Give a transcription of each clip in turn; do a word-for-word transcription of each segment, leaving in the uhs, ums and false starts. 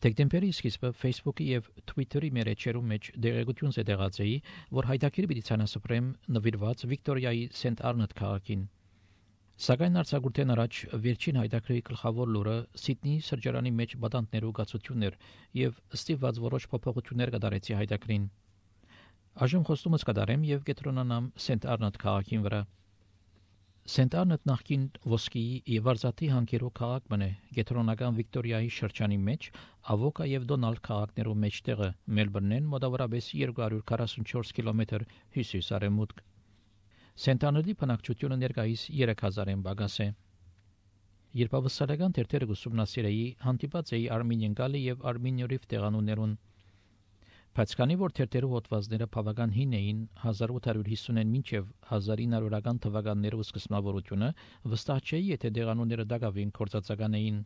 Դեկտեմբերի սկիզբը Facebook-ի եւ Twitter-ի մերեջերում մեջ դեղեցություն զետեղացեի, որ հայտակիրի պիտի ցանասպրեմ նվիրված Վիկտորիայի Սենտ Արնոտ քաղաքին։ Սակայն արձակուրդեն առաջ վերջին հայտակրի գլխավոր լուրը Սիդնեի սրճարանի մեջ բադանտներու գացություններ եւ ստիպված որոշ փոփոխություններ կդարեցի հայտակրին։ Այժմ խոստումս կդարեմ եւ կետրոնանամ Սենտ Արնոտ քաղաքին վրա։ Սենտ Արնոտ նախկին ոսկի եւ արծաթի հանգերու քաղաք մնե կետրոնական Վիկտորիայի շրջանի մեջ Ավոկա եւ Դոնալդ քաղաքներու մեջտեղը Մելբուրնեն մոտավորապես երկու հարյուր քառասունչորս կիլոմետր հյուսիս-արևմուտք։ Սենտ Արնոտի բնակչությունը ներկայիս երեք հազարեն բագաս է։ Երբ ավստրալիական թերթերը ուսումնասիրեի, հանդիպած էի Արմինիան գալի եւ Արմինիորիվ տեղանուններուն։ Բայց քանի որ թերթերու հոդվածները բավական հին էին հազար ութ հարյուր հիսունին մինչև հազար ինը հարյուրական թվականներու սկզբնավորությունը, վստահ չէի, եթե տեղանունները դակավին կորցածական էին։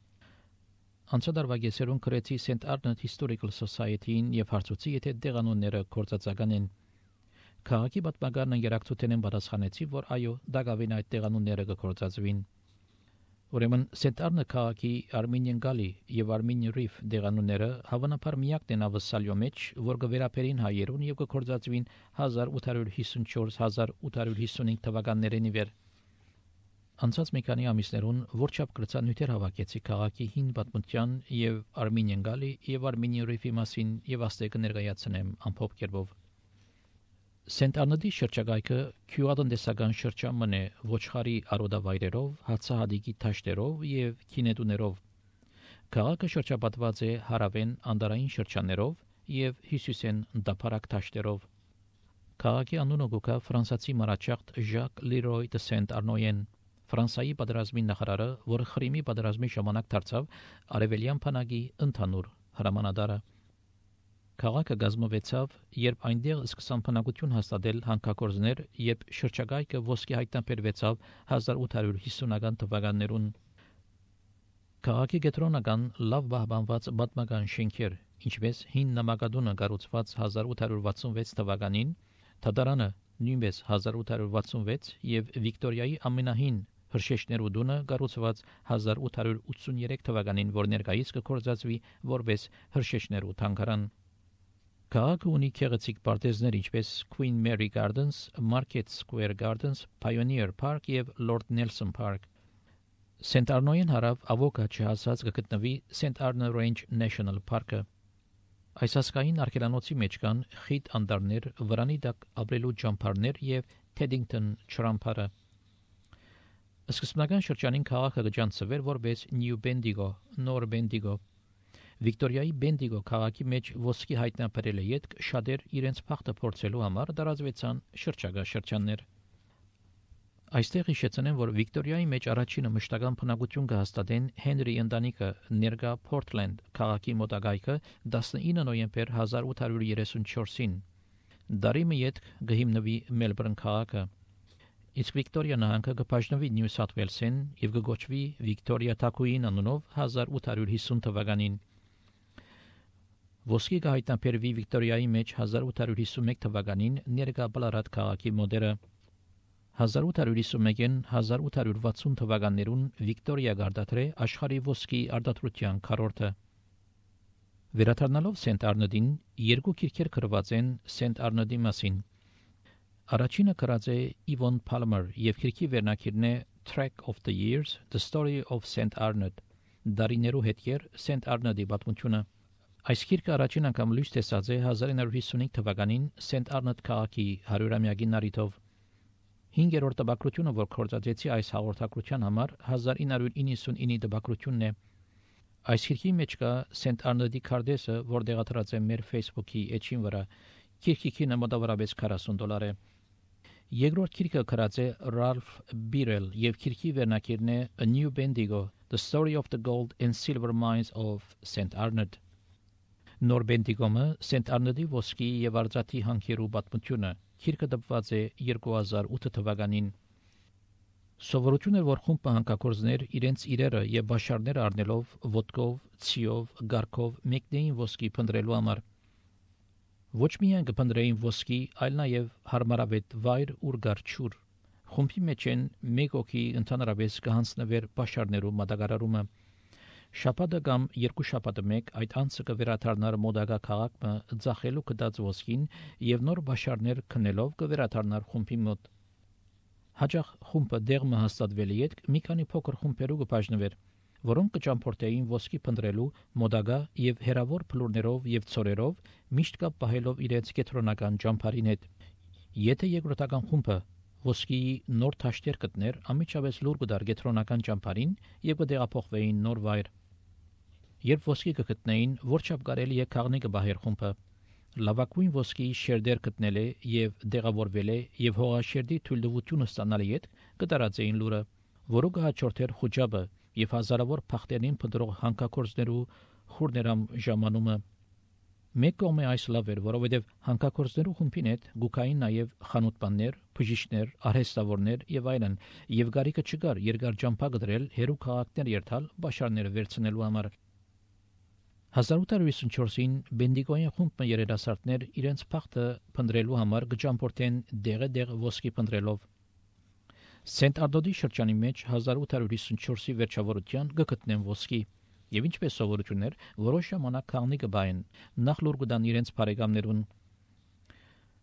Անցադարվա գեսերուն գրեցի Սենտ Արնոտ Historical Society-ին եւ հարցուցի, եթե տեղանունները կորցածական են։ Քաղաքի պատմական ընկերակցութենեն պատասխանեցի, որ այո, դակավին այդ տեղանունները կկորցածվին։ Ուրեմն Սենտ Արնոտ քաղաքի Արմինիան գալի եւ Արմինիա Ռիվ տեղանունները հավանաբար միակն են ավսալյո մեջ, որ կվերապերին հայերուն եւ կկորցածվին հազար ութ հարյուր հիսունչորս հազար ութ հարյուր հիսունհինգ թվականներին իվեր։ Անցած մի քանի ամիսներուն որչափ կրծանյութեր հավաքեցի քաղաքի հին պատմության եւ Արմինիան գալի եւ Արմինիա Ռիվի մասին եւ աստեկը ներկայացնեմ ամփոփ կերպով։ Սենտ Արնոտի շրջակայքը քյուադնդեսական շրջան է ոչխարի արոդավայրերով, հացահատիկի թաշտերով եւ քինետուներով։ Քաղաքը շրջապատված է հարավեն անդարային շրջաններով եւ հյուսիսեն դափարակ թաշտերով։ Քաղաքի անունը գոկա ֆրանսիացի մարաճախտ Ժակ Լիրոյ դե Սենտ Արնոյեն, Ֆրանսիայի պատերազմի նախարարը, որը Խրիմի պատերազմի ժամանակ դարձավ արևելյան բանակի ընդհանուր հրամանատարը։ Քաղաքը գազմվեցավ, երբ այնտեղ սկսան բնակություն հաստատել հանքագործներ, երբ շրջակայքը ոսկի հայտնաբերվեցավ հազար ութ հարյուր հիսունական թվականներուն։ Քաղաքի կենտրոնական լավ պահպանված պատմական շենքեր, ինչպես հին նամակադունը կառուցված հազար ութ հարյուր վաթսունվեց թվականին, թատրոնը նույնպես հազար ութ հարյուր վաթսունվեց եւ Վիկտորիայի ամենահին հրշեջներու դունը կառուցված հազար ութ հարյուր ութսուներեք թվականին, որ ներկայիս կկործածվի որպես հրշեջներու թանգարան։ Քաղաքը ունի գեղեցիկ պարտեզներ, ինչպես Queen Mary Gardens, Market Square Gardens, Pioneer Park եւ Lord Nelson Park։ Սենտ Արնոյեն հարավ Ավոկա չհասած կգտնվի Սենտ Arno Range National Park-ը։ Այս ասկային արգելանոցի մեջ կան խիտ անդարներ, վրանի տակ ապրելու ճամփարներ եւ Teddington չրամփարը։ Սկզբնական շրջանին քաղաքը կջանցվեր որպես New Bendigo, Նոր Bendigo։ Վիկտորիայի Bendigo քաղաքի մեջ ոսկի հայտնաբերել է յետք շատեր իրենց փախտը փորձելու համար դարածվեցան շրջակա շրջաններ։ Այստեղ հիշեցնեմ, որ Վիկտորիայի մեջ առաջինը մշտական բնակություն կհաստատեն Հենրի ընտանիքը ներկա Portland քաղաքի մոտակայքը տասնինը նոյեմբեր հազար ութ հարյուր երեսունչորսին։ Դարի մի յետք կհիմնվի Մելբուրն քաղաքը։ Իսկ Վիկտորիա նահանգը կբաժնվի Նյու Սաթ Ուելսեն եւ կգոչվի Վիկտորիա Թակուին անունով հազար ութ հարյուր հիսուն թվականին։ Ոսկի կհայտնաբերվի Վիկտորիայի մեջ հազար ութ հարյուր հիսունմեկ թվականին ներկա Բլարատ քաղաքի մոդերը։ հազար ութ հարյուր հիսունմեկին հազար ութ հարյուր վաթսուն թվականներուն Վիկտորիա գարդատրե աշխարհի ոսկի արտադրության քառորդը։ Վերադառնալով Սենտ Արնոտին, երկու քիրքեր գրված են Սենտ Արնոտի մասին։ Առաջինը գրած է Իվոն Փալմեր եւ քիրքի վերնակիրն է Track of the Years, The Story of Saint Arnaud, Դարիներու հետքեր Սենտ Արնոտի պատմությունը։ Այս քիրքը առաջին անգամ լույս տեսած է հազար ինը հարյուր հիսունհինգ թվականին Սենտ Արնոտ քաղաքի հարյուրամյակի նարիտով։ Հինգերորդ տպագրությունը, որ կորցածեցի այս հաղորդակցության համար, հազար ինը հարյուր իննսունինի տպագրությունն է։ Այս քիրքի մեջ կա Սենտ Արնոտի քարտեզը, որ դեղատրած է մեր Facebook-ի էջին վրա։ Քիրքի քինը մոտավորապես քառասուն դոլար է։ Երկրորդ քիրքը գրած է Ralph Birrell եւ քիրքի վերնակիրն է A New Bendigo, The Story of the Gold and Silver Mines of Saint Arnaud։ Նոր Bendigo-ը Սենտ Արնոտի ոսկի եւ արծաթի հանքերու պատմությունը։ Քիրքը դպված է երկու հազար ութ թվականին։ Սովորություն էր, որ խումբը հանքագործներ իրենց իրերը եւ բաշարները առնելով ոտքով, ցիով, գարքով մեկնեին ոսկի փնտրելու համար։ Ոչ միայն կփնտրեին ոսկի, այլ նաեւ հարմարավետ վայր ուր գարչուր։ Խումբի մեջ են մեկ օքի ընդհանրապես կհանձնվեր բաշարներու մատակարարումը։ Շաբաթը կամ երկու շաբաթը մեկ այդ անցը կվերաթարնար մոդագա քաղաքը ձախելու կդած ոսկին եւ նոր բաշարներ քնելով կվերաթարնար խումբի մոտ։ Հաջող խումբը դեղը հաստատվելի հետ մի քանի փոքր խումբերու կբաժնվեր, որոնք կճամփորդեին ոսկի փնտրելու մոդագա եւ հերավոր փլուրներով եւ ծորերով միշտ կապ պահելով իրենց կենտրոնական ճամփարին հետ։ Եթե երկրորդական խումբը ոսկի նոր թաշտեր գտներ, ամիջապես լուր կդար կենտրոնական ճամփարին եւ կդեղափոխվեին նոր վայր։ Երբ ոսկի կգտնեին, որչափ կարելի է քաղնիկը բահեր խումբը, լավագույն ոսկի շերդեր գտնել է եւ դեղավորվել է եւ հողաշերդի թույլտվությունը ստանալի հետ կդարածեին լուրը, որը կհաջորդեր խոճաբը եւ հազարավոր փախտերին փնտրող հանքագործներու խուրներամ ժամանումը։ Մեկ կողմը այս լավ էր, որովհետև հանքագործներու խումբին հետ գուկային նաև խանութբաններ, բժիշկներ, արհեստավորներ եւ այլն, եւ գարիկը չկար երկար ճամփա գտնել հերու քաղաքներ երթալ բաշարները վերցնելու համար։ հազար ութ հարյուր հիսունչորսին Բենդիգոյի խումբը երիտասարդներ իրենց փախտը փնտրելու համար գճամփորդեն դեղը դեղ ոսկի փնտրելով։ Սենտ Արտոդի շրջանի մեջ հազար ութ հարյուր հիսունչորսի վերջավորության գտնեն ոսկի։ Եվ ինչպես սովորություններ, որոշ ժամանակ քաղնիկը բային, նախ լուր կդան իրենց բարեկամներուն։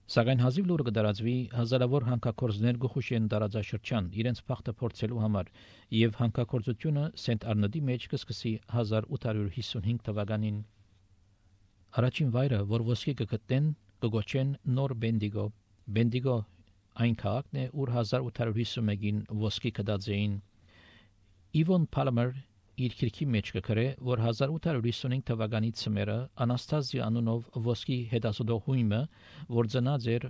Սակայն հազիվ լուրը կդարածվի հազարավոր հանքագործներ գխուշեն տարածաշրջան իրենց փախտը փորձելու համար, եւ հանքագործությունը Սենտ Արնոդի մեջ կսկսի հազար ութ հարյուր հիսունհինգ թվականին։ Առաջին վայրը, որ ոսկի կգտնեն, կգոչեն Նոր Բենդիգո։ Բենդիգո այն քաղաքն է, ուր հազար ութ հարյուր հիսունմեկին ոսկի կդած էին։ Իվոն Պալմեր իր քիրքի մեջ կգրե, որ հազար ութ հարյուր հիսունհինգ թվականի ցմերը Անաստազիա անունով ոսկի հետազոտողույմը, որ ծնած էր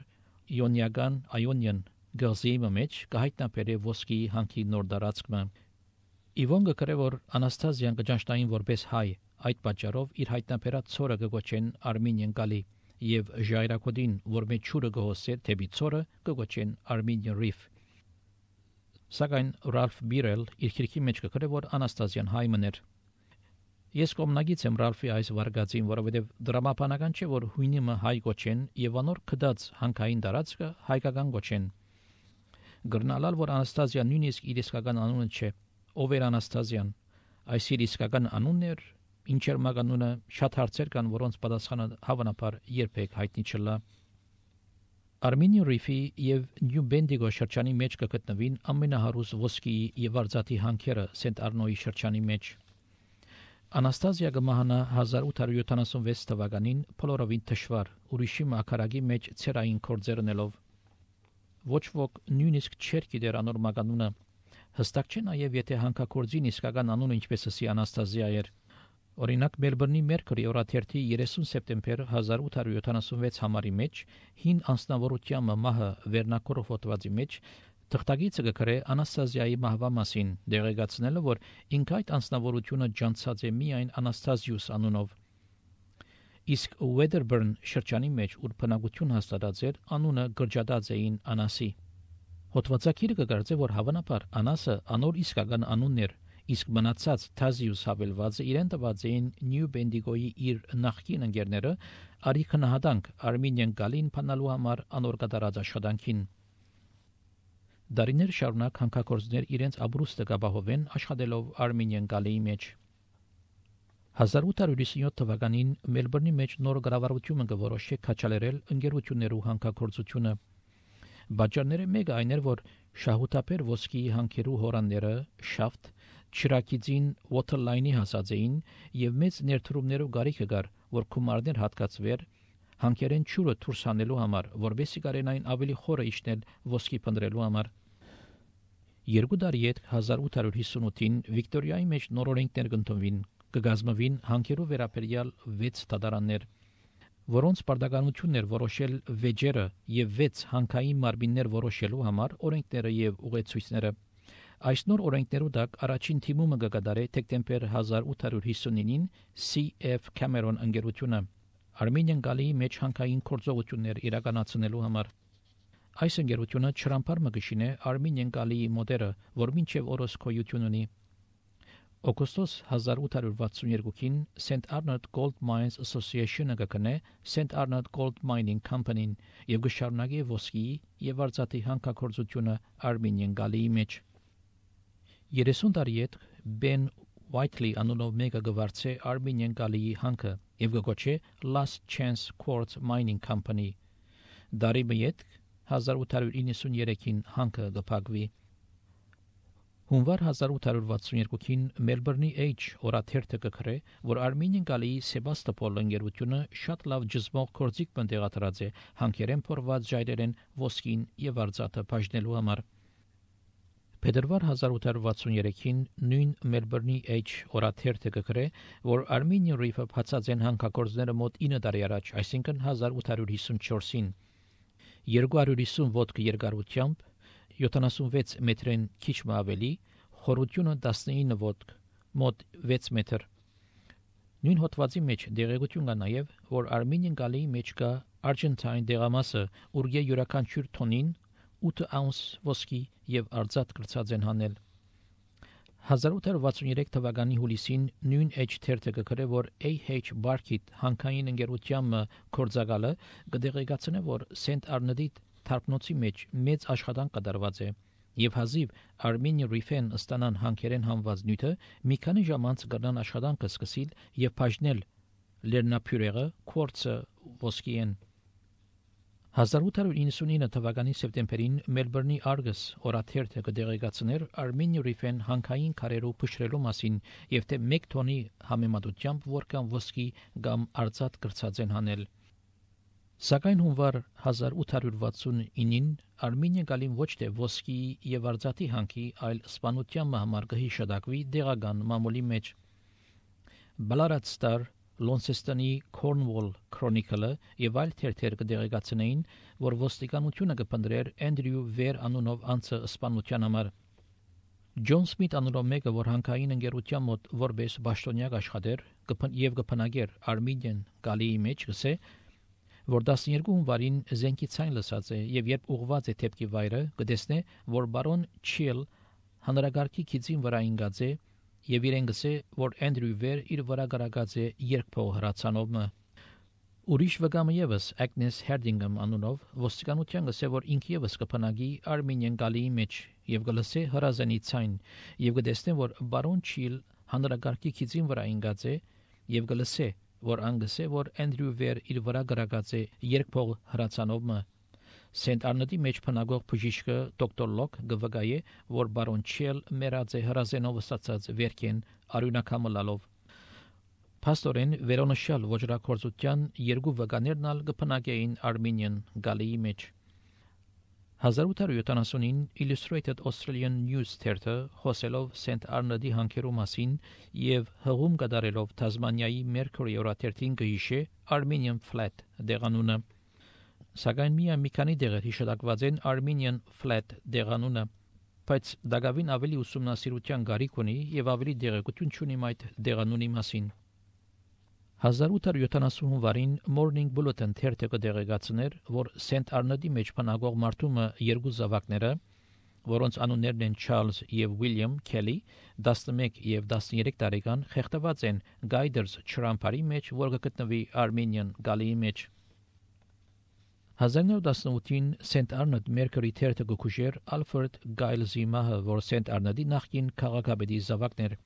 Իոնիական Այոնյան գազի մեջ, կհայտնաբերե ոսկի հանքի նոր տարածքը։ Իվոն կգրե, որ Անաստազիան կճանչնային որպես հայ, այդ պատճառով իր հայտնաբերած ցորը կգոչեն Արմենիան գալի, եւ ժայռակոդին, որ մեջ ճուրը գոհսեր թեպի ցորը, կգոչեն Armenian Reef։ Սակայն Ռալֆ Բիրել իր քիրքի մեջ կգրե, որ Անաստազիան հայ մներ։ Ես կողմնակից եմ Ռալֆի այս վարկածին, որովհետև դրամապանական չէ, որ հույնիմը հայ գոչեն եւ անոր կդած հանքային տարածքը հայկական գոչեն։ Գրնալալ, որ Անաստազիան նույնիսկ իր իսկական անունը չէ։ Ով էր Անաստազիան։ Այս իր իսկական անունն էր, ինչեր մականունը շատ հարցեր կան, որոնց պատասխանը հավանաբար երբեք հայտնի չլա։ Armenian Reef-ի եւ New Bendigo շրջանի մեջ կգտնվին ամենահարուստ ոսկի եւ արծաթի հանքերը Սենտ Արնոյի շրջանի մեջ։ Անաստազիա գմահանա հազար ութ հարյուր յոթանասունվեց թվականին փլորովին թշվար, ուրիշի մակարագի մեջ ցերային կորձերնելով։ Ոչ ոք նույնիսկ չէր գիտեր անոր մականունը։ Հստակ չէ նաեւ եթե հանքագործին իսկական անունը ինչպես ասի Անաստազիա էր։ Օրինակ Մելբուրնի Մերկուրի օրաթերթի երեսուն սեպտեմբեր հազար ութ հարյուր յոթանասունվեց համարի մեջ հին անձնավորության մահը վերնակորով հոդվածի մեջ թղթագիծը կգրե Անաստազիայի մահվա մասին, դեղեկացնելով, որ ինքը այդ անձնավորությունը ջանցած է միայն Անաստազիուս անունով։ Իսկ Wedderburn շրջանի մեջ ուր բնակություն հաստատած էր, անունը գրջադած էին Անասի։ Հոդվածագիրը կգարձե, որ հավանաբար Անասը անոր իսկական անունն էր, իսկ մնացած Թազիուս հավելվածը իրեն տված էին Նյու Բենդիգոյի իր նախկին ընկերները արի քնահատանք Արմենիան գալին փանալու համար անոր կատարած աշխատանքին։ Դարիներ շարունակ հանքագործներ իրենց ապրուստը կապահովեն աշխատելով Արմենիան գալիի մեջ։ հազար ութ հարյուր հիսունյոթ թվականին Մելբուրնի մեջ նոր կառավարությունը կորոշե քաչալերել ընկերություններու հանքագործությունը։ Բաժանները մեկը այն էր, որ շահութաբեր ոսկի հանքերու հորանները շաֆտ Չիրակիցին Waterline-ի հասած էին եւ մեծ ներդրումներով գարիքը գար, որ կումարներ հատկացվեր հանքերեն ճուրը դուրս հանելու համար, որովհետեւ կարենային ավելի խորը իջնել ոսկի փնտրելու համար։ Երկու տարի հետ հազար ութ հարյուր հիսունութին Վիկտորիայի մեջ նոր օրենքներ կընդունվին, կգազմվին հանքերու վերաբերյալ վեց դատարաններ, որոնց պարտականությունն էր որոշել վեճերը եւ վեց հանքային մարմիններ որոշելու համար օրենքները եւ ուղեցույցները։ Այս նոր օրենքներու դակ առաջին թիմումը կգադարե դեկտեմբեր հազար ութ հարյուր հիսունինին C F Cameron ընկերությունը Արմենիան գալիի մեջ հանքային գործողություններ իրականացնելու համար։ Այս ընկերությունը չրամփար մգշին է Արմենիան գալիի մոդերը, որ մինչև օրս գոյություն ունի։ Օգոստոս հազար ութ հարյուր վաթսունյոթին Saint Arnold Gold Mines Association-ը կգնե Saint Arnold Gold Mining Company-ին եւ կշարունակի ոսկի եւ արծաթի հանքագործությունը Արմենիան գալիի մեջ։ երեսուն տարի հետ Ben Whiteley անունով մեկը գվարցե Armenian գալիի հանքը եւ գոչե Last Chance Quartz Mining Company։ Դարի մեկ հազար ութ հարյուր իննսուններեքին հանքը գփակվի։ Հունվար հազար ութ հարյուր վաթսունյոթին Մելբուրնի H օրաթերթը կգրե, որ Armenian գալիի Սեբաստոպոլ ընկերությունը շատ լավ ջզմող կորձիկ բնդեղադրած է հանքերեն փորված ժայռերեն ոսկին եւ արծաթը բաժնելու համար։ Փետրվար հազար ութ հարյուր վաթսուններեքին նույն Մելբուրնի H օրաթերթը կգրե, որ Armenian Reef-ը բացած են հանքագործները մոտ ինը տարի առաջ, այսինքն հազար ութ հարյուր հիսունչորսին երկու հարյուր հիսուն ոտք երկարությամբ, յոթանասունվեց մետրեն քիչ մը ավելի, խորությունը տասնինը ոտք, մոտ վեց մետր։ Նույն հոդվածի մեջ դեղեցություն կա նաև, որ Armenian գալիի մեջ կա Argentine դեղամասը, ուրգե յուրաքանչյուր թոնին ութ աունց ոսկի եւ արծաթ կրծած են հանել։ հազար ութ հարյուր վաթսուներեք թվականի հուլիսին նույն H թերթը կգրե, որ A H Barkit հանքային ընկերության կորձակալը կդեղեկացնե, որ Saint Arnaud-ի թարփնոցի մեջ մեծ աշխատանք կատարված է եւ հազիվ Armenian Reef-ն ստանան հանքերեն հանված նյութը մի քանի ժամ անց կգնան աշխատանքը սկսել եւ բաժնել լեռնափյուրեղը կորցը ոսկիեն։ հազար ութ հարյուր իննսունինը թվականի սեպտեմբերին Մելբուրնի Argus օրաթերթը կդեղեկացներ Armenian Reef-ն հանքային քարերու փշրելու մասին եւ թե մեկ տոնի համեմատությամբ որքան ոսկի կամ արծաթ կրծած են հանել։ Սակայն հունվար հազար ութ հարյուր վաթսունինին Armenian գալին ոչ թե ոսկի եւ արծաթի հանքի, այլ սպանության համար կհիշադակվի դեղական մամուլի մեջ։ Ballarat Star Launcestoni Cornwall Chronicle-ը եւ այլ թերթեր կդեղեկացնեին, որ ոստիկանությունը կփնտրեր Andrew Weir անունով անձը սպանության համար։ John Smith անունով մեկը, որ հանքային ընկերության մոտ որպես պաշտոնյակ աշխատեր եւ կփնագեր Armenian գալիի մեջ, գսե, որ տասներկու հունվարին զենքի ցայն լսած է եւ երբ ուղված է թեփքի վայրը, կտեսնե, որ բարոն Chill հանրագարքի քիծին վրա ինգած է եւ իրեն գսե, որ Andrew Weir իր վրա գրակած է երկփող հրացանով։ Ուրիշ վկամը եւս Agnes Herdingham անունով ոստիկանության գսե, որ ինքը եւս կփնագի Armenian գալիի մեջ եւ գլսե հրազենի ցայն եւ կտեսնե, որ բարոն Chill հանրագարքի քիծին վրա ինգած է եւ գլսե, որ անգսե, որ Andrew Weir իր վրա գրակած է երկփող հրացանով։ Saint Arnaud-ի մեջ փնագող բժիշկը դոկտոր Լոկ գվգայե, որ բարոն Chill մեռած է հրազենով ստացած վերքեն արյունակամը լալով։ Փաստորեն վերոնշյալ ոչրակորձության երկու վկաներն ալ կփնագեին Armenian գալիի մեջ։ հազար ութ հարյուր յոթանասունին Illustrated Australian News թերթը խոսելով Saint Arnaud-ի հանքերու մասին եւ հղում կատարելով Թազմանիայի Mercury օրաթերթին գհիշե Armenian Flat դեղանունը։ Սակայն միայն մի քանի դեղեր հիշատակված են Armenian Flat դեղանունը, բայց դակավին ավելի ուսումնասիրության գարիք ունի եւ ավելի դեղեցություն ունի այդ դեղանունի մասին։ հազար ութ հարյուր յոթանասուն հունվարին Morning Bulletin թերթը կդեղեկացներ, որ Saint Arnaud-ի մեջ փնագող մարդումը երկու զավակները, որոնց անուններն են Charles եւ William Kelly, տասնմեկ եւ տասներեք տարեկան, խեղդված են Guiders ճրամփարի մեջ, որ կգտնվի Armenian գալիի մեջ։ հազար նոր տասնութին Saint Arnaud Mercury թերթը գուշեր Alfred Giles-ի մահը, որ Saint Arnaud-ի նախկին քաղաքապետի զավակներ։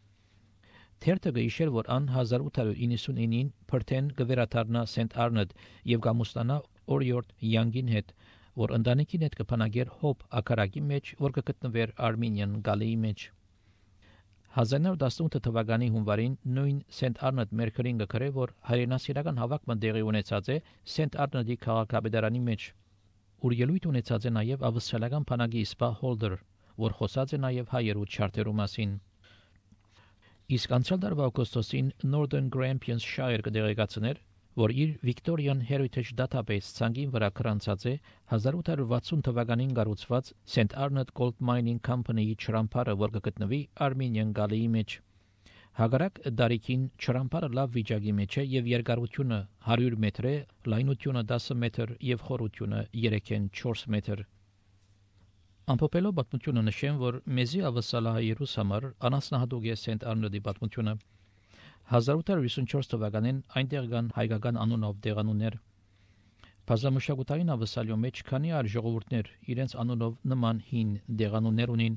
Թերթը գիշեր, որ ան հազար ութ հարյուր իննսունինին Perth-ն գվերաթարնա Saint Arnaud եւ գամուստանա Oriort Young-ին հետ, որ ընտանիքին հետ կփնագեր Hope ակարակի մեջ, որ կգտնվեր Armenian գալիի մեջ։ հազար նոր տասնութ թվականի հունվարին նույն Saint Arnaud Mercury-ն գկրե, որ հայրենասիրական հավաքը տեղի ունեցած է Saint Arnaud-ի քաղաքապետարանի մեջ, ուր ելույթ ունեցած է նաեւ ավստրալիական բանակի սպա Holder, որ խոսած է նաեւ հայերու չարտերու մասին։ Իսկ անցյալ տարվա օգոստոսին Northern Grampians Shire կդեղեկացներ, որ իր Victorian Heritage Database ցանկին վրա կրանցած է հազար ութ հարյուր վաթսուն թվականին կառուցված Saint Arnaud Gold Mining Company-ի ճրամփարը, որ կգտնվի Armenian գալիի մեջ։ Հակառակ դարիքին ճրամփարը լավ վիճակի մեջ է եւ երկարությունը հարյուր մետր է, լայնությունը դասը մետր եւ խորությունը երեքն չորս մետր։ Ամփոփելով պատմությունը նշեմ, որ մեզի ավասալահայերուս համար անասնահատուկ է Saint Arnaud-ի պատմությունը։ հազար ութ հարյուր հիսունչորս թվականին այնտեղ կան հայկական անունով դեղանուններ։ Բազմամշակութային ավասալյո մեջ քանի այլ ժողովուրդներ իրենց անունով նման հին դեղանուններ ունին։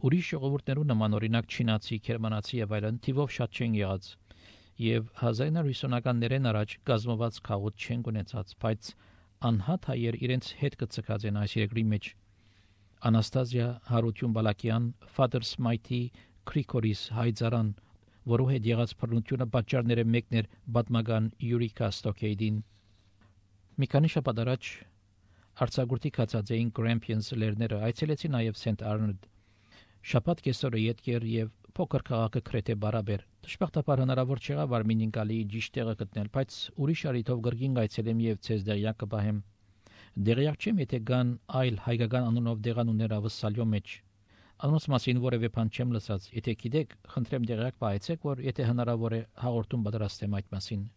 Ուրիշ ժողովուրդներու նման օրինակ չինացի, գերմանացի եւ այլն թիվով շատ չեն եղած եւ հազար իննսուն ութանականներեն առաջ գազմված քաղուտ չեն ունեցած, բայց անհատ հայեր իրենց հետ կցկած են այս երկրի մեջ։ Անաստազիա Հարություն Բալակյան, Father Smite Krikoris հայձարան, որու հետ եղած բռնությունը պատճառները մեկն էր պատմական Յուրիկա Ստոկեյդին։ Մի քանի շաբաթ առաջ Արցախի կացածային Grampians լերները այցելեցին նաև Saint Arnold։ Շաբաթ կեսօրը յետքեր եւ փոքր քաղաքը քրեթե բարաբեր։ Դժբախտաբար հնարավոր չեղավ Արմինին գալի ճիշտ տեղը գտնել, բայց ուրիշ արիթով գրգին այցելեմ եւ ցեզ դերյակ կբահեմ։ Դերյակ չեմ, եթե կան այլ հայկական անունով դեղանուններ ավսալյո մեջ։ Անոնց մասին որևէ բան չեմ լսած։ Եթե գիտեք, խնդրեմ դերյակ պահեցեք, որ եթե հնարավոր է հաղորդում պատրաստեմ այդ մասին։